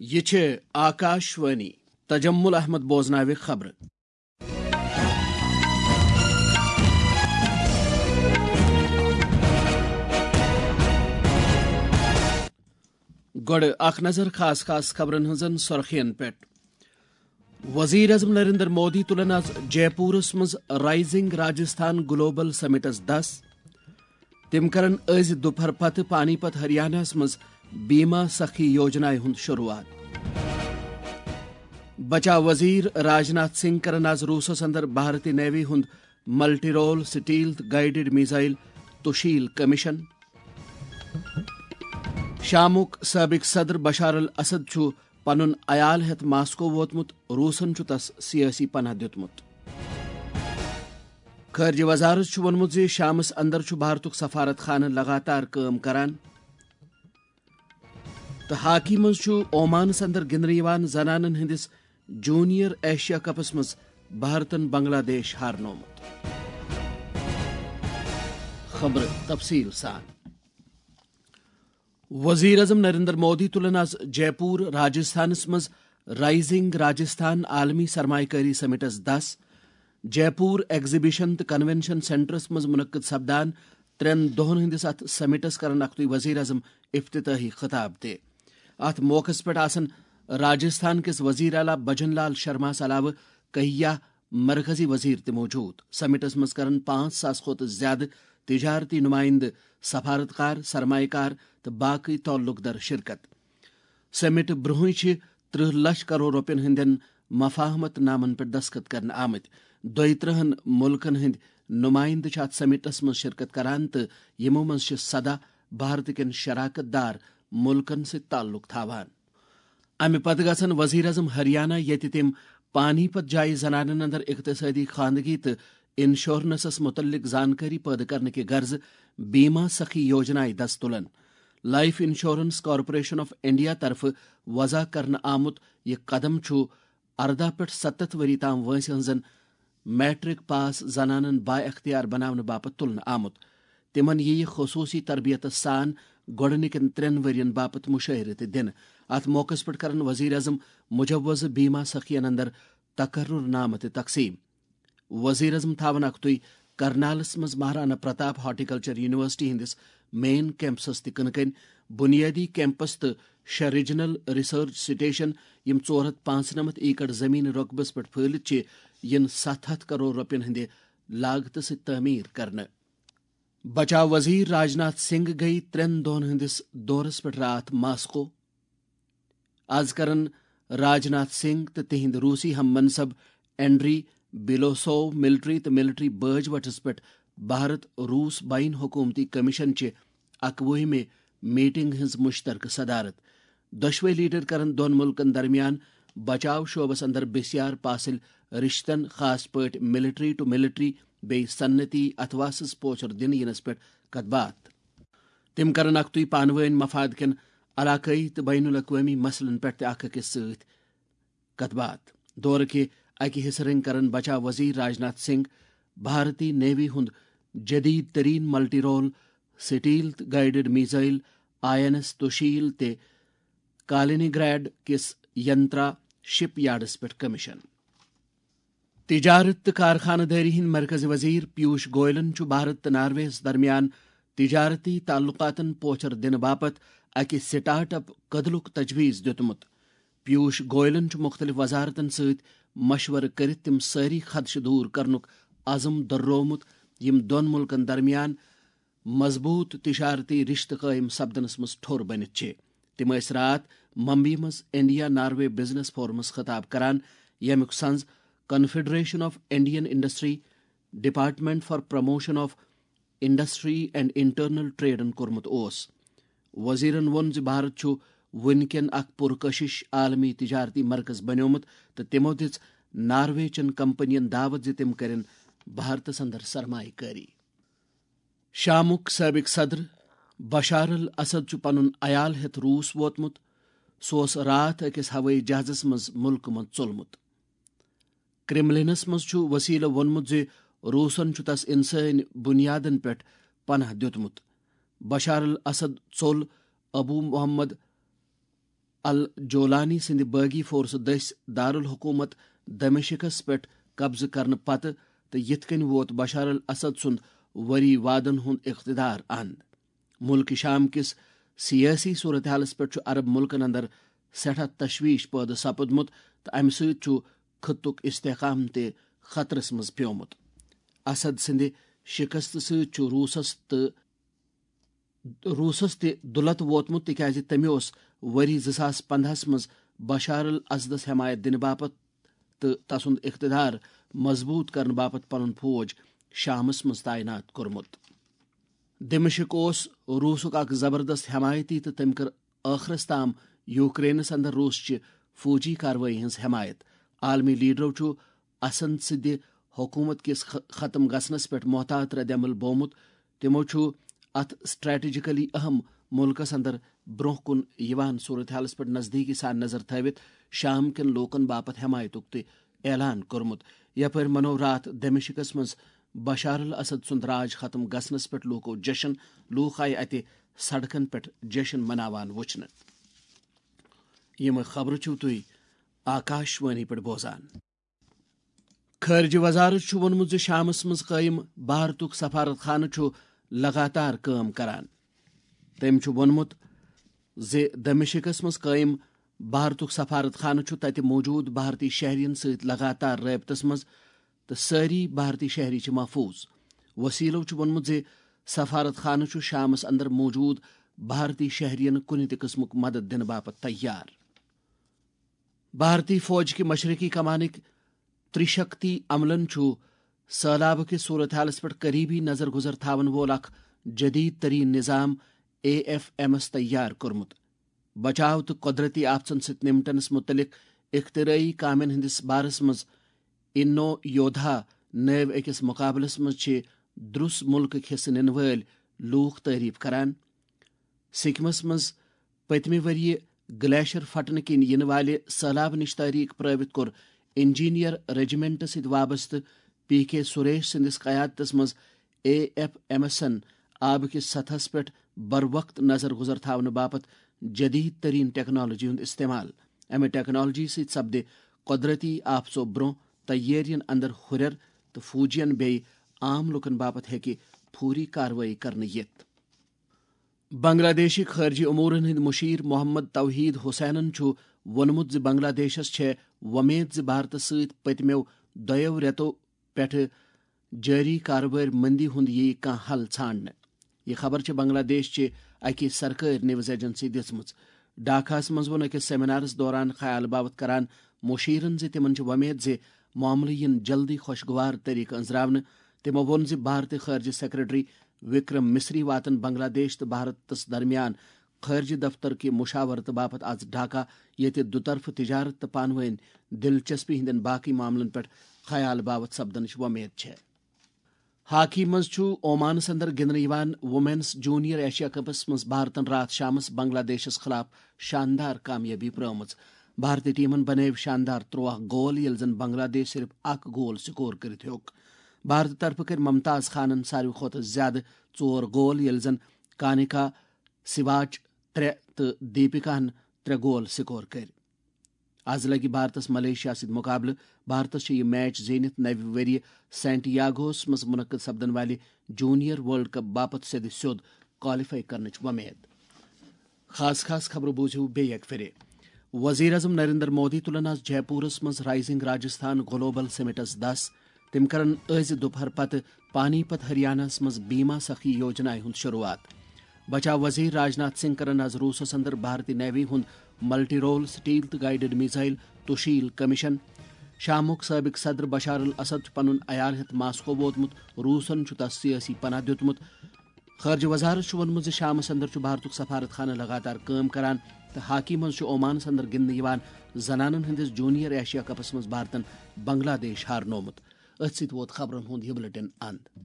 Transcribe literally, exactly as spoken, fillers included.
یہِ چھِ آکاش وانی۔ تجمل احمد بوزناوِ خبرٕ۔ گۄڈٕ اکھ نظر خاص خاص خبرن ہٕنٛزن سرخین پٮ۪ٹھ۔ وزیر اعظم نریندر مودی تُلن آز جے پورس منٛز رائزنگ راجستھان گلوبل سمٹس دس۔ تِم کرن أزۍ دُپہر پتہٕ پانی پت ہریاناہس منٛز بیما سخی یوجنایہِ ہُنٛد شروعات۔ بچاو وزیر راجناتھ سنگھ کرن آز روسس اندر بھارتی نیوی ہُنٛد multi role stealth guided missile Tushil commission. شامُک سابق صدر بشار الاسد چھُ پنُن عیال ہٮ۪تھ ماسکو ووتمُت، روسن چھُ تس سیٲسی پناہ دیُتمُت۔ خارجہ وزارت چھُ ووٚنمُت زِ شامس اندر چھُ بھارتُک سفارت خانہٕ لگاتار کٲم کران۔ تہٕ ہاکی منٛز چھُ اومانس اندر گِنٛدنہٕ یِوان زنانن ہٕنٛدِس جونیئر ایشیا کپس منٛز بھارتن بنگلہ دیش ہارنومُت۔ خبرٕ تفصیل سان۔ وزیر اعظم نریندر مودی تُلن آز جے پور راجستھانس منٛز رائزنگ راجستھان عالمی سرمایہ کٲری سمٹس دس، جے پور ایگزیبیشن تہٕ کنونشن سینٹرس منٛز منعقد سپدان ترٛٮ۪ن دۄہن ہٕنٛدِس اتھ سمٹس کرن اکھتُے وزیر اعظم افتتاحی خطاب تہِ۔ اتھ موقعس پٮ۪ٹھ آسن راجستھان کِس وزیر اعلیٰ بھجن لال شرماہس علاوٕ کہیا مرکزی وزیر تہِ موجود۔ سمٹس منٛز کرن پانٛژھ ساس کھۄتہٕ زیادٕ تجارتی نمائندٕ، سفارتکار، سرمایہ کار تہٕ باقی تعلق در شرکت۔ سمٹ برونٛہٕے چھِ ترٕہ لچھ کرور رۄپین ہٕنٛدٮ۪ن مفاہمت نامن پٮ۪ٹھ دستخط کرنہٕ آمٕتۍ۔ دۄیہِ ترٕہن مُلکن ہٕنٛدۍ نمائندٕ چھِ اتھ سمٹس منٛز شرکت کران تہٕ یِمو منٛز چھِ سداہ بھارت کٮ۪ن شراکت دار مُلکن سۭتۍ تعلق تھاوان۔ امہِ پتہٕ گژھن وزیر اعظم ہریانہ، ییٚتہِ تِم پانی پت جایہِ زنانن اندر اقتصٲدی خواندگی تہٕ انشورنسس متعلق زانکٲری پٲدٕ کرنہٕ کہِ غرضہٕ بیما سخی یوجنایہِ دس تُلن۔ Life insurance corporation of India طرفہٕ وضع کرنہٕ آمُت یہِ قدم چھُ ارداہ پٮ۪ٹھ ستتھ ؤری تام وٲنٛسہِ ہٕنٛزن میٹرک پاس زنانن با اختیار بناونہٕ باپتھ تُلنہٕ آمُت۔ تِمن یِیہِ خصوٗصی تربیتس سان گۄڈٕنِکٮ۪ن ترٛٮ۪ن ؤرین باپتھ مُشٲہرٕ تہِ دِنہٕ۔ اتھ موقعس پٮ۪ٹھ کرن وزیر اعظم مجوزٕ بیما سخین اندر تقرر نامہٕ تہِ تقسیٖم۔ وزیر اعظم تھاون اکھتُے کرنالس منٛز مہارانا پرتاپ ہارٹیکلچر یونیورسٹی ہٕنٛدِس مین کیمپسس تہِ کٕنہٕ کٔنۍ بنیٲدی کیمپس تہٕ شےٚ ریجنل ریسرچ سٹیشن، یِم ژور ہتھ پانٛژنمتھ ایکڑ زمین رۄقبس پٮ۪ٹھ پھٲلِتھ چھِ، یِن ستھ ہتھ کرور رۄپین ہٕنٛدِ لاگتہٕ سۭتۍ تعمیٖر کرنہٕ۔ بچاو وزیر راجناتھ سنگھ گٔیہِ ترٛٮ۪ن دۄہن ہٕنٛدِس دورس پٮ۪ٹھ راتھ ماسکو۔ از کرن راجناتھ سنگھ تہٕ تِہنٛدۍ روسی ہم منصب اینڈری بیلوسوو ملٹری تہٕ ملٹری بٲج وٹس پٮ۪ٹھ بھارت روس بین حکومتی کمیشن چہِ اکوُہمہِ میٹنگ ہٕنٛز مشترکہٕ صدارت۔ دۄشوے لیڈر کرن دۄن ملکن درمیان بچاو شعبس اندر بسیار پاسل رشتن، خاص پٲٹھۍ ملٹری ٹو ملٹری بیٚیہِ صنعتی اتھواسس پوچھر دِنہٕ ینس پٮ۪ٹھ کتھ باتھ۔ تِم کرن اکھتُے پانہٕ وٲنۍ مفاد کٮ۪ن علاقٲیی تہٕ بین الاقوٲمی مسلن پٮ۪ٹھ تہِ اکھ أکِس سۭتۍ کتھ باتھ۔ دورٕ کہِ اکہِ حصہٕ رٔنگۍ کرن بچاو وزیر راجناتھ سنگھ بھارتی نیوی ہُنٛد جدید ترین multi role stealth guided missile I N S Tushil تہٕ کالینی گریڈ کِس ینترا شپ یارڈس پٮ۪ٹھ کمیشن۔ تجارت تہٕ کارخانہٕ دٲری ہٕنٛدۍ مرکزی وزیر پیوش گوئلن چھُ بھارت تہٕ ناروے ہَس درمیان تجارتی تعلقاتن پوچھر دِنہٕ باپتھ اکہِ سٹارٹ اپ کدلُک تجویز دیُتمُت۔ پیوش گوئلن چھُ مُختٔلِف وزارتن سۭتۍ مشورٕ کٔرِتھ تِم سٲری خدشہٕ دوٗر کرنُک عزم دۄہرومُت، یِم دۄن مُلکن درمیان مضبوط تجارتی رشتہٕ قٲیِم سپدنس منٛز ٹھوٚر بٔنِتھ چھِ۔ تِم ٲسۍ راتھ ممبئی منٛز انڈیا ناروے بزنس فورمس خطاب کران، ییٚمیُک سنز confederation of Indian industry, department for promotion of industry and internal ٹریڈن کوٚرمُت اوس۔ وزیرن ووٚن زِ بھارت چھُ وُنہِ کٮ۪ن اکھ پُرکشش عالمی تجارتی مرکز بنیومُت تہٕ تِمو دِژ ناروے چٮ۪ن کمپنین دعوت زِ تِم کرن بھارتس اندر سرمایہ کٲری۔ شامُک سٲبِق صدر بشار الاسد چھُ پنُن عیال ہٮ۪تھ روٗس ووتمُت۔ سُہ اوس راتھ أکِس ہوٲیی جہازس منٛز مُلکہٕ منٛز ژوٚلمُت۔ کرملنس منٛز چھُ وسیلہٕ ووٚنمُت زِ روٗسن چھُ تس انسٲنی بنیادن پٮ۪ٹھ پناہ دیُتمُت۔ بشار الاسد ژوٚل ابو محمد الجولانی سٕنٛدِ باغی فورسہٕ دٔسۍ دارالحکومت دمشقس پٮ۪ٹھ قبضہٕ کرنہٕ پتہٕ، تہٕ یِتھ کٔنۍ ووت بشار الاسد سُنٛد ؤری وادن ہُنٛد اقتدار اند۔ مُلکہِ شام کِس سیٲسی صورتحالس پٮ۪ٹھ چھُ عرب مُلکن اندر سٮ۪ٹھاہ تشویش پٲدٕ سپُدمُت، تہٕ امہِ سۭتۍ چھُ خطُک استحکام تہِ خطرس منٛز پیومُت۔ اسد سٕنٛدِ شکستہٕ سۭتۍ چھُ روٗسس تہٕ روٗسس تہِ دُلت ووتمُت، تِکیازِ تٔمۍ اوس ؤری زٕ ساس پندہس منٛز بشار الاسدس حمایت دِنہٕ باپتھ تہٕ تسُنٛد اقتدار مضبوٗط کرنہٕ باپتھ پنُن فوج شامس منٛز تعینات کوٚرمُت۔ دمشق اوس روٗسُک اکھ زبردست حمایتی، تہٕ تٔمۍ کٔر ٲخرس تام یوکرینس اندر روٗس چہِ فوجی کاروٲیی ہٕنٛز حمایت۔ عالمی لیڈرو چھُ اسد سٕنٛدِ حکومت کِس خ-، ختم گژھنس پٮ۪ٹھ محتاط رد عمل بومُت۔ تِمو چھُ اتھ سٹریٹجیکلی اہم مُلکس اندر برونٛہہ کُن یِوان صورتحالس پٮ۪ٹھ نزدیٖکی سان نظر تھٲوِتھ شام کٮ۪ن لوٗکن باپتھ حمایتُک تہِ اعلان کوٚرمُت، یپٲرۍ منوو راتھ دمشقس منٛز بشار الاسد سُنٛد راج ختم گژھنس پٮ۪ٹھ لوٗکو جشن۔ لوٗکھ آیہِ اتہِ سڑکن پٮ۪ٹھ جشن مناوان وُچھنہٕ۔ یِم خبرٕ چھِو تُہۍ آکاش وانی پٮ۪ٹھ بوزان۔ خارجہ وزارت چھُ ووٚنمُت زِ شامس منٛز قٲیِم بھارتُک سفارت خانہٕ چھُ لگاتار کٲم کران۔ تٔمۍ چھُ ووٚنمُت زِ دمشقس منٛز قٲیِم بھارتُک سفارت خانہٕ چھُ تَتہِ موٗجوٗد بھارتی شہرین سۭتۍ لگاتار رٲبطس منٛز، تہٕ سٲری بھارتی شہری چھِ محفوٗظ۔ وسیلو چھُ ووٚنمُت زِ سفارت خانہٕ چھُ شامس اندر موٗجوٗد بھارتی شہرین کُنہِ تہِ قٕسمُک مدد دِنہٕ باپتھ تیار۔ بھارتی فوج کہِ مشرقی کمانٕکۍ ترٛشکتی عملن چھُ سٔہلابہٕ کِس صورتحالس پٮ۪ٹھ قریبی نظر گزر تھاون وول اکھ جدید ترین نظام اے ایف ایمس تیار کوٚرمُت۔ بچاو تہٕ قۄدرتی آفژن سۭتۍ نمٹنس مُتعلق اختراعی کامٮ۪ن ہٕنٛدِس بارس منٛز انو یودھا نٲوۍ أکِس مقابلس منٛز چھِ درُس مُلکٕکۍ حصہٕ نِنہٕ وٲلۍ لوٗکھ تعریف کران۔ سکمس منٛز پٔتمہِ ؤریہِ گلیشر پھٹنہٕ کِنۍ یِنہٕ والہِ سٔہلابہٕ نِش تٲریخ پرٲوِتھ کوٚر انجینئر رجمنٹ سۭتۍ وابستہٕ پی کے سریش سٕنٛدِس قیادتس منٛز اے ایف ایمسن آبہٕ کِس سطحس پٮ۪ٹھ بروقت نظر گزر تھاونہٕ باپتھ جدید ترین ٹیکنالوجی ہُنٛد استعمال۔ امہِ ٹیکنالوجی سۭتۍ سپدِ قۄدرتی آفژو برونٛہہ تیٲرین اندر ہُرٮ۪ر، تہٕ فوجین بیٚیہِ عام لوٗکن باپتھ ہیٚکہِ فوری کاروٲیی کرنہٕ یِتھ۔ بنگلہ دیشٕکۍ خارجی امورن ہٕنٛدۍ مشیر محمد توحید حسینن چھُ ووٚنمُت زِ بنگلہ دیشس چھےٚ وۄمید زِ بھارتس سۭتۍ پٔتمیو دۄیو رٮ۪تو پٮ۪ٹھٕ جٲری کارٕبٲرۍ مٔنٛدی ہُنٛد یِیہِ کانٛہہ حل ژھانٛڈنہٕ۔ یہِ خبر چھےٚ بنگلہ دیش چہِ اکہِ سرکٲرۍ نیوز ایجنسی دِژمٕژ۔ ڈھاکہس منٛز ووٚن أکِس سیمینارس دوران خیال باوت کران مشیرن زِ تِمن چھِ وۄمید زِ معاملہٕ یِن جلدی خوشگوار طریقہٕ أنٛزراونہٕ۔ تِمو ووٚن زِ بھارتی خارجہ سیکرٹری وکرم مصری واتن بنگلہ دیش تہٕ بھارتس درمیان خارجہ دفتر کہِ مشاورتہٕ باپتھ از ڈھاکہ، ییٚتہِ دُطرفہٕ تجارت تہٕ پانہٕ وٲنۍ دلچسپی ہٕنٛدٮ۪ن باقی معاملن پٮ۪ٹھ خیال باوت سپدنٕچ وۄمید چھےٚ۔ ہاکی منٛز چھُ اومانس اندر گِنٛدنہٕ یِوان وومینز جونیئر ایشیا کپس منٛز بھارتن راتھ شامس بنگلہ دیشس خلاف شاندار کامیٲبی پرٲومٕژ۔ بھارتی ٹیمن بنٲوۍ شاندار ترٛواہ گول، ییٚلہِ زن بنگلہ دیش صرف اکھ گول سکور کٔرِتھ ہیوٚک۔ بھارتہٕ طرفہٕ کٔرۍ ممتاز خانن ساروی کھۄتہٕ زیادٕ ژور گول، ییٚلہِ زن کانیکا سیواچ ترٛےٚ تہٕ دیپکاہن ترٛےٚ گول سکور کٔرۍ۔ از لگہِ بھارتس ملیشیا سۭتۍ مقابلہٕ۔ بھارتس چھِ یہِ میچ زیٖنِتھ نوِ ؤریہِ سینٹیاگوہس منٛز منعقد سپدن والہِ جونیئر ورلڈ کپ باپتھ سیٚدِ سیوٚد کوالیفائی کرنٕچ وۄمید۔ خاص خاص خبرٕ بوٗزِو بیٚیہِ اکہِ پھِرِ۔ وزیر اعظم نریندر مودی تُلن از جے پورس منٛز رائزنگ راجستھان گلوبل سمٹس دس۔ تِم کرن أزۍ دُپہر پتہٕ پانی پت ہریاناہس منٛز بیما سخی یوجنایہِ ہُنٛد شروعات۔ بچاو وزیر راجناتھ سنگھ کرن از روٗسس اندر بھارتی نیوی ہُنٛد multi role stealth guided missile Tushil commission. شامُک سٲبق صدر بشار الاسد چھُ پنُن عیال ہٮ۪تھ ماسکو ووتمُت، روٗسن چھُ تس سیٲسی پناہ دیُتمُت۔ خارجہ وزارت چھُ ووٚنمُت زِ شامس اندر چھُ بھارتُک سفارت خانہٕ لگاتار کٲم کران، تہٕ ہاکی منٛز چھُ اومانس اندر گِنٛدنہٕ یِوان زنانن ہٕنٛدِس جونیئر ایشیا کپس منٛز بھارتن بنگلہ دیش ہارنومُت۔ أتھۍ سۭتۍ ووت خبرن ہُنٛد یہِ بلیٹن اند۔